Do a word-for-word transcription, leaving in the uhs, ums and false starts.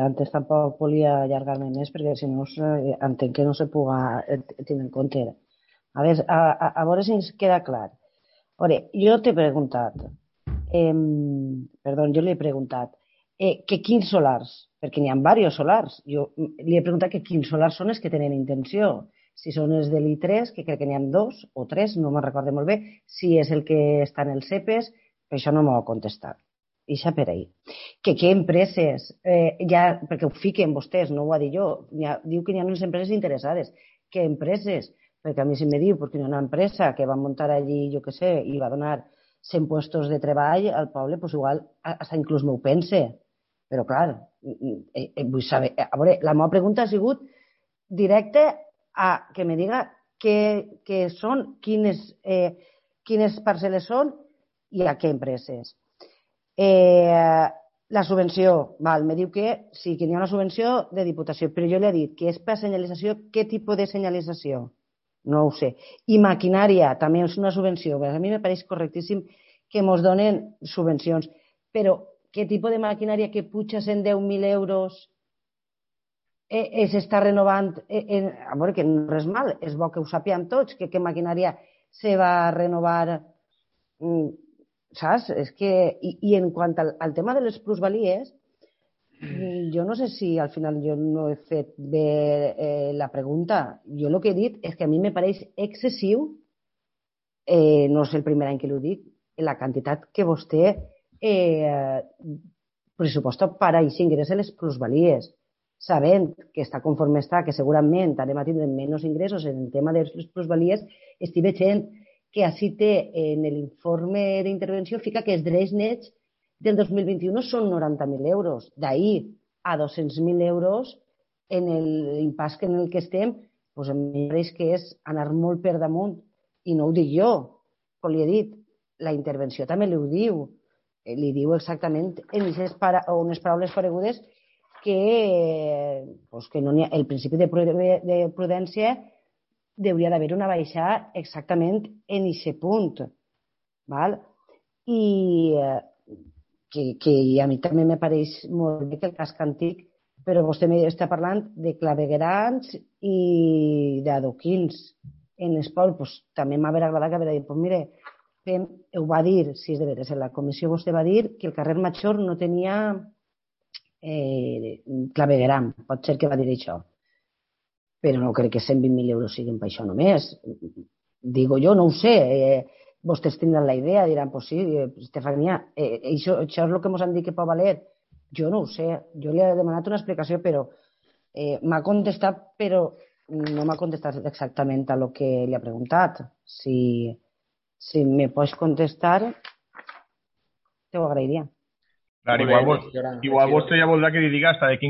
Antes tampoc volia allargar-me més perquè si no eh, entenc que no se puga eh, tenir en compte. A veure, a, a, a veure si ens queda clar. A veure, jo t'he preguntat, eh, perdó, jo li he preguntat eh, que quins solars, perquè n'hi ha diversos solars. Jo li he preguntat que quins solars són els que tenen intenció. Si són els de l'I tres, que crec que n'hi ha dos o tres, no me'n recordo molt bé, si és el que està en els CEPES, per això no m'ho ha contestat. Ixa per ahir. Que què empreses, eh, ja, perquè ho fiquen vostès, no ho ha dit jo, ha, diu que hi ha unes empreses interessades. Què empreses? Perquè a mi si me diu, perquè hi ha una empresa que va muntar allí, jo què sé, i va donar cent puestos de treball al poble, doncs igual, hasta inclús m'ho pense. Però clar, eh, eh, vull saber, a veure, la meva pregunta ha sigut directa a que me diga què, què són, quines, eh, quines parcel·les són i a què empreses. Eh, la subvenció, val, me diu que sí, que hi ha una subvenció de Diputació, però jo li he dit que és per senyalització, què tipus de senyalització? No ho sé. I maquinària, també és una subvenció. A mi me pareix correctíssim que ens donen subvencions, però què tipus de maquinària que puja cent deu mil euros eh, s'està renovant? Eh, eh, a veure, que no és res mal, és bo que ho sapiem tots, que què maquinària se va renovar. Mm, saps? És que, i, i en quant al, al tema de les plusvalies, jo no sé si al final jo no he fet bé eh, la pregunta. Jo el que he dit és que a mi me pareix excessiu, eh, no és el primer any que l'ho dic, la quantitat que vostè eh, pressuposta per a aquest ingrés a les plusvalies, sabent que està conforme està, que segurament anem a tindre menys ingressos en el tema de les plusvalies, estic veient que així té en l'informe d'intervenció fica que els drets nets del dos mil vint-i-u són noranta mil euros. D'ahir a dos-cents mil euros en l'impàs en el que estem, doncs a mi pareix que és anar molt per damunt. I no ho dic jo, com li he dit, la intervenció també li ho diu. Li diu exactament en unes paraules paregudes que, doncs que no ha, el principi de prudència hauria d'haver una baixada exactament en aquest punt. Val? I que, que a mi també me pareix molt bé que el casc antic, però vostè està parlant de claveguerams i d'adoquins en l'esport. Pues, també m'ha agradat que haver dit, pues mire, fem, ho va dir, si és de veres, en la comissió vostè va dir que el carrer Major no tenia eh, clavegueram, pot ser que va dir això, però no crec que cent vint mil euros siguin per això només. Digo jo, no ho sé, eh, vostès tindran la idea, diran, pues sí, Estefania, eh, això, això és el que ens han dit que pot valer. Jo no ho sé, jo li he demanat una explicació, però eh, m'ha contestat, però no m'ha contestat exactament a lo que li ha preguntat. Si, si me pots contestar, te ho agrairia. Clar, igual, vos, igual vostè ja voldrà que li diga hasta de quin